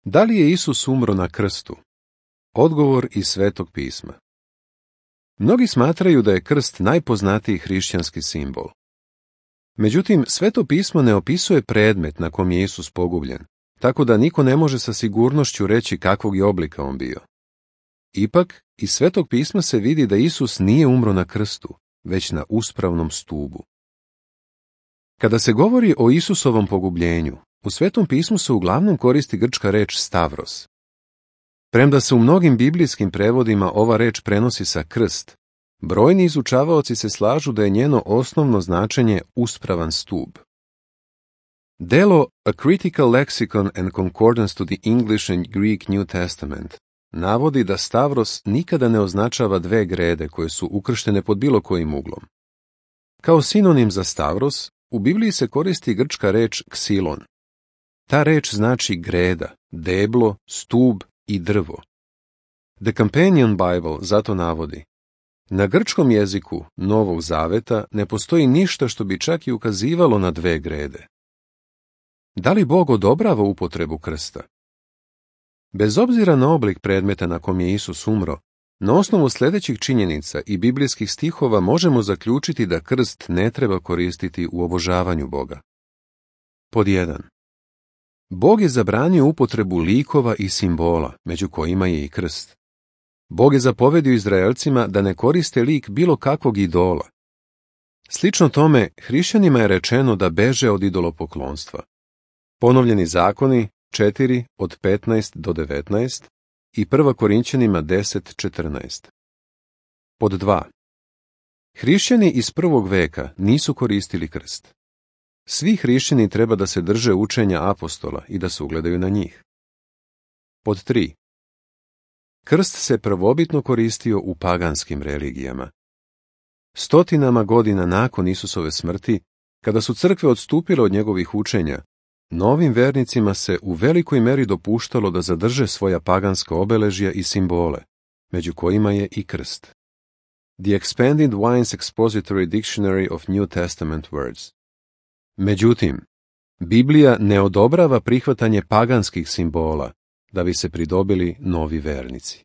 Da li je Isus umro na krstu? Odgovor iz Svetog pisma. Mnogi smatraju da je krst najpoznatiji hrišćanski simbol. Međutim, Sveto pismo ne opisuje predmet na kom je Isus pogubljen, tako da niko ne može sa sigurnošću reći kakvog je oblika on bio. Ipak, iz Svetog pisma se vidi da Isus nije umro na krstu, već na uspravnom stubu. Kada se govori o Isusovom pogubljenju, u Svetom pismu se uglavnom koristi grčka reč stavros. Premda se u mnogim biblijskim prevodima ova reč prenosi sa krst, brojni izučavaoci se slažu da je njeno osnovno značenje uspravan stub. Delo A Critical Lexicon and Concordance to the English and Greek New Testament navodi da stavros nikada ne označava dve grede koje su ukrštene pod bilo kojim uglom. Kao sinonim za stavros, u Bibliji se koristi grčka reč ksilon. Ta reč znači greda, deblo, stub i drvo. The Companion Bible zato navodi: na grčkom jeziku Novog Zaveta ne postoji ništa što bi čak i ukazivalo na dve grede. Da li Bog odobrava upotrebu krsta? Bez obzira na oblik predmeta na kom je Isus umro, na osnovu sljedećih činjenica i biblijskih stihova možemo zaključiti da krst ne treba koristiti u obožavanju Boga. Pod 1. Bog je zabranio upotrebu likova i simbola, među kojima je i krst. Bog je zapovedio Izraelcima da ne koriste lik bilo kakvog idola. Slično tome, hrišćanima je rečeno da beže od idolopoklonstva. Ponovljeni zakoni 4 od 15 do 19 i 1. Korinćanima 10:14. Pod 2. Hrišćani iz prvog veka nisu koristili krst. Svi hrišćani treba da se drže učenja apostola i da se ugledaju na njih. Pod 3. Krst se prvobitno koristio u paganskim religijama. Stotinama godina nakon Isusove smrti, kada su crkve odstupile od njegovih učenja, novim vernicima se u velikoj meri dopuštalo da zadrže svoja paganska obeležja i simbole, među kojima je i krst. The Expanded Wine's Expository Dictionary of New Testament Words. Međutim, Biblija ne odobrava prihvatanje paganskih simbola da bi se pridobili novi vernici.